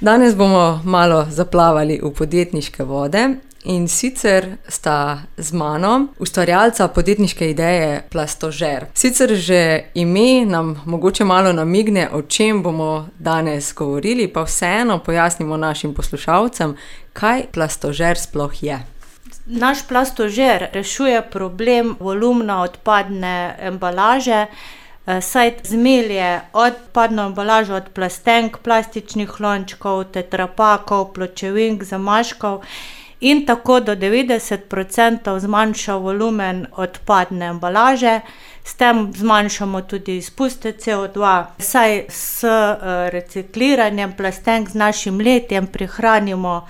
Danes bomo malo zaplavali v podjetniške vode in sicer sta z mano ustvarjalca podjetniške ideje Plastožer. Sicer že ime nam mogoče malo namigne, o čem bomo danes govorili, pa vseeno pojasnimo našim poslušalcem, kaj Plastožer sploh je. Naš Plastožer rešuje problem volumna odpadne embalaže, saj zmelje odpadno embalažo od plastenk, plastičnih lončkov, tetrapakov, pločevink, zamaškov in tako do 90% zmanjša volumen odpadne embalaže. S tem zmanjšamo tudi izpuste CO2, saj s recikliranjem plastenk z našim letjem prihranimo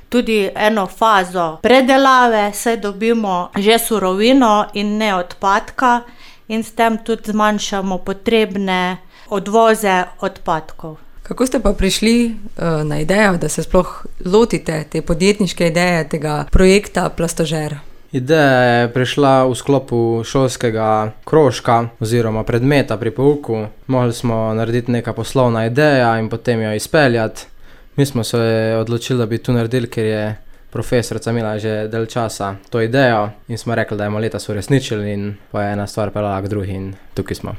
tudi eno fazo predelave, saj dobimo že surovino in ne odpadka in s tem tudi zmanjšamo potrebne odvoze odpadkov. Kako ste pa prišli na idejo, da se sploh lotite te podjetniške ideje, tega projekta Plastožer? Ideja je prišla v sklopu šolskega krožka oziroma predmeta pri pouku. Mogli smo narediti neka poslovna ideja in potem jo izpeljati. Mi smo se odločili, da bi to naredili, ker je profesorica imela že del časa to idejo in smo rekli, da je letos uresničili in pa je ena stvar peljala k drugi in tukaj smo.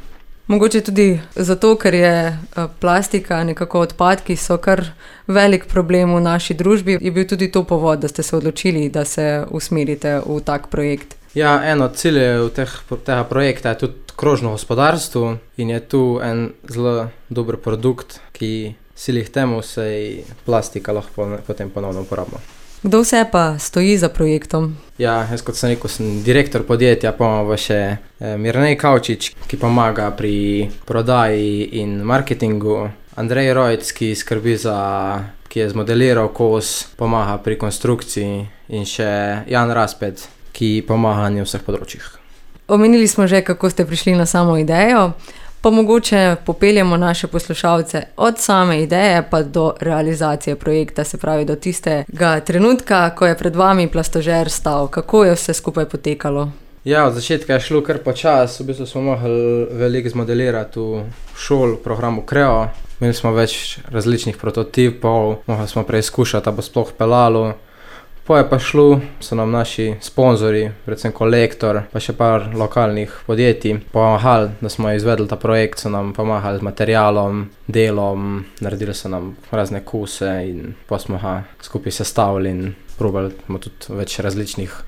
Mogoče tudi zato, ker je plastika, nekako odpadki so kar velik problem v naši družbi. Je bil tudi to povod, da ste se odločili, da se usmerite v tak projekt? Ja, eno od ciljev tega projekta je tudi krožno gospodarstvo in je tu en zelo dober produkt, ki sili k temu, saj plastika lahko potem ponovno uporabimo. Kdo vse pa stoji za projektom? Ja, jaz kot sem rekel, sem direktor podjetja, pa imamo še Mirnej Kavčič, ki pomaga pri prodaji in marketingu, Andrej Rojc, ki je zmodeliral kos, pomaga pri konstrukciji in še Jan Raspet, ki pomaga na vseh področjih. Omenili smo že, kako ste prišli na samo idejo, pa mogoče popeljemo naše poslušalce od same ideje pa do realizacije projekta, se pravi do tistega trenutka, ko je pred vami Plastožer stal. Kako je vse skupaj potekalo? Ja, od začetka je šlo kar počas, v bistvu smo mogli veliko zmodelirati v šoli, v programu Creo. Imeli smo več različnih prototipov, mogli smo preizkušati, da bo sploh peljalo. Po je pa šlo, so nam naši sponzorji, predvsem Kolektor, pa še par lokalnih podjetij pomagali, da smo izvedli ta projekt, so nam pomagali z materialom, delom, naredili so nam razne kose in pa smo ga skupaj sestavili in probali tudi več različnih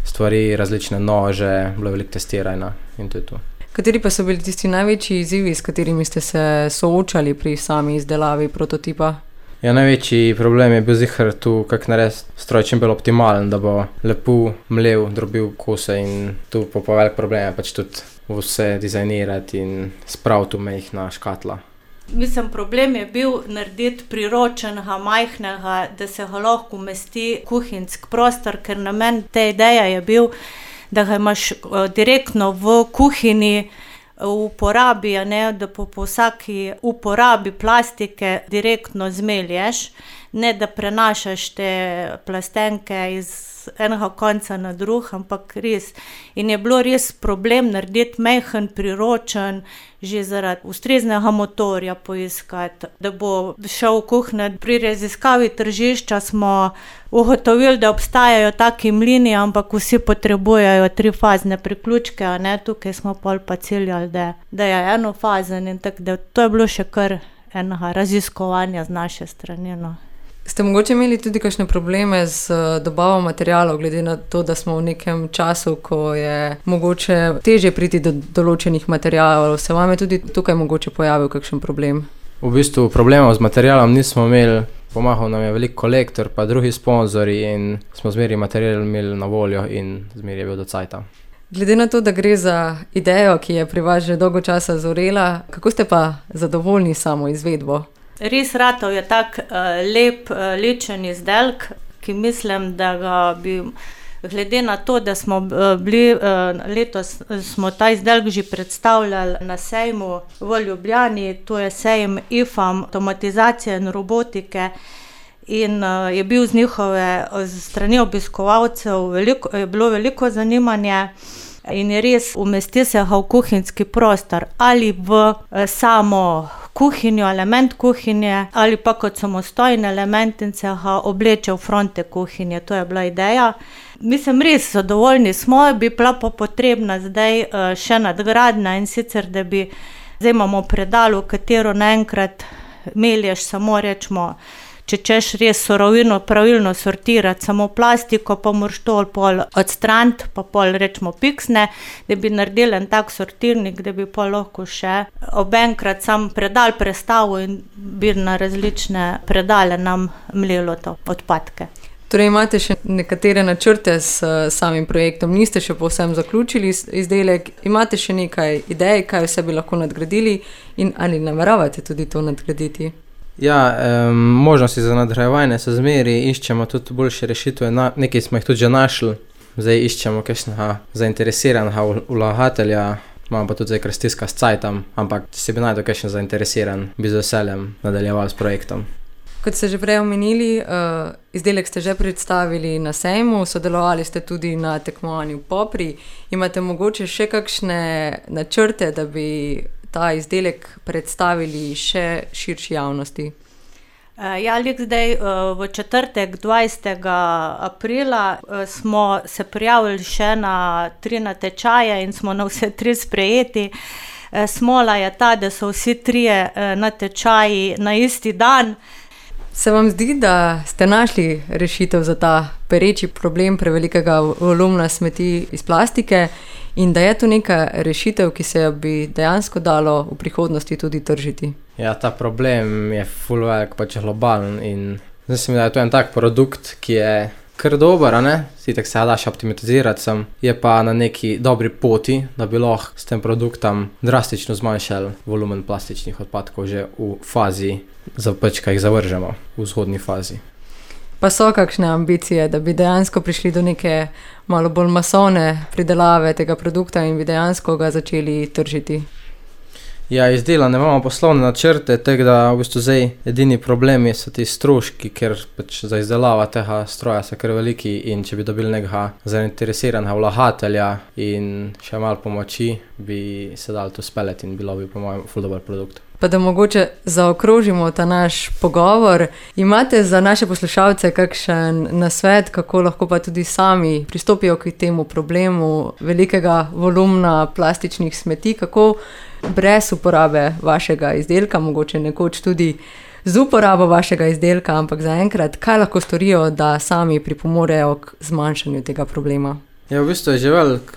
stvari, različne nože, bilo veliko testiranja in to je to. Kateri pa so bili tisti največji izzivi, s katerimi ste se soočali pri sami izdelavi prototipa? Ja, največji problem je bil zihar tu, kako narediti stroj čim bolj optimalen, da bo lepo mlel, drobil kose in tu po velik problem je pač tudi vse dizajnirati in spraviti v majhna škatla. Mislim, problem je bil narediti priročenega, majhnega, da se ga lahko umesti kuhinjski prostor, ker namen te ideje je bil, da ga imaš direktno v kuhinji, v uporabi, da po vsaki uporabi plastike direktno zmelješ, ne da prenašaš te plastenke iz enega konca na drug, ampak res. In je bilo res problem narediti majhen, priročen, že zaradi ustreznega motorja poiskati, da bo šel v kuhinjo. Pri raziskavi tržišča smo ugotovili, da obstajajo taki mlini, ampak vsi potrebujejo 3-fazne priključke, tukaj smo pol pa ciljali, da je enofazen in tako, da to je bilo še kar enega raziskovanja z naše strani. Ste mogoče imeli tudi kakšne probleme z dobavo materialov, glede na to, da smo v nekem času, ko je mogoče težje priti do določenih materialov? Se vam je tudi tukaj mogoče pojavil kakšen problem? V bistvu problemov z materialom nismo imeli, pomagal nam je veliko Kolektor pa drugi sponzorji in smo zmeraj material imeli na voljo in zmeraj je bil do cajta. Glede na to, da gre za idejo, ki je pri vas že dolgo časa zorela, kako ste pa zadovoljni s samo izvedbo? Res ratov je tak lep, ličen izdelek, ki mislim, da ga bi, glede na to, da smo bili letos, smo ta izdelek že predstavljali na sejmu v Ljubljani, to je sejem IFAM, avtomatizacije in robotike, in je bil z njihove strani obiskovalcev je bilo veliko zanimanje. In je res umesti se ga v kuhinjski prostor ali v samo kuhinjo, element kuhinje ali pa kot samostojen element in se ga obleče v fronte kuhinje. To je bila ideja. Mislim, res zadovoljni smo, bi bila pa potrebna zdaj še nadgradnja, in sicer, da bi, zdaj imamo predalo, katero naenkrat melješ samo, rečemo, če češ res surovino pravilno sortirati, samo plastiko, pa moraš to pol odstraniti, pa pol rečemo piksne, da bi naredili en tak sortirnik, da bi pol lahko še obenkrat sam predal prestavil in bi na različne predale nam mlelo to odpadke. Torej imate še nekatere načrte s samim projektom, niste še povsem zaključili izdelek, imate še nekaj idej, kaj vse bi lahko nadgradili in ali nameravate tudi to nadgraditi? Ja, možnosti za nadgrajevanje so zmeri, iščemo tudi boljše rešitve, nekaj smo jih tudi že našli, zdaj iščemo kakšnega zainteresiranega vlagatelja, imamo pa tudi zdaj kar stiska s cajtom, ampak če se bi najdel kakšen zainteresiran, bi z veseljem nadaljeval s projektom. Kot ste že prej omenili, izdelek ste že predstavili na sejmu, sodelovali ste tudi na tekmovanju Popri. Imate mogoče še kakšne načrte, da bi ta izdelek predstavili še širši javnosti? Ja, zdaj v četrtek 20. aprila smo se prijavili še na 3 natečaje in smo na vse 3 sprejeti. Smola je ta, da so vsi 3 natečaji na isti dan. Se vam zdi, da ste našli rešitev za ta pereči problem prevelikega volumna smeti iz plastike in da je to neka rešitev, ki se bi dejansko dalo v prihodnosti tudi tržiti? Ja, ta problem je ful velik, pač globalen in mislim, da je to en tak produkt, ki je kar dober, a ne? Sitek se daš optimizirati sem, je pa na neki dobri poti, da bi lahko s tem produktom drastično zmanjšali volumen plastičnih odpadkov že v fazi, ka jih zavržemo v zgodnji fazi. Pa so kakšne ambicije, da bi dejansko prišli do neke malo bolj masovne pridelave tega produkta in bi dejansko ga začeli tržiti? Ja, izdelane imamo poslovne načrte, tako da v bistvu zdaj edini problemi so ti stroški, ker pač za izdelavo tega stroja so kar veliki in če bi dobili nekega zainteresiranega vlagatelja in še malo pomoči, bi se dalo to speljati in bilo bi po mojem ful dober produkt. Pa da mogoče zaokrožimo ta naš pogovor, imate za naše poslušalce kakšen nasvet, kako lahko pa tudi sami pristopijo k temu problemu velikega volumna plastičnih smeti, kako brez uporabe vašega izdelka, mogoče nekoč tudi z uporabo vašega izdelka, ampak zaenkrat, kaj lahko storijo, da sami pripomorejo k zmanjšanju tega problema? Ja, v bistvu je že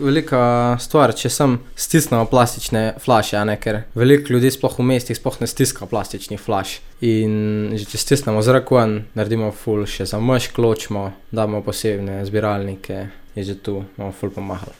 velika stvar, če sem stisnemo plastične flaše, a ne, ker veliko ljudi sploh v mestih sploh ne stiska plastičnih flaš. In že če stisnemo zrak ven, naredimo ful še za mešk, ločimo, damo posebne zbiralnike, je že tu, bomo ful pomagali.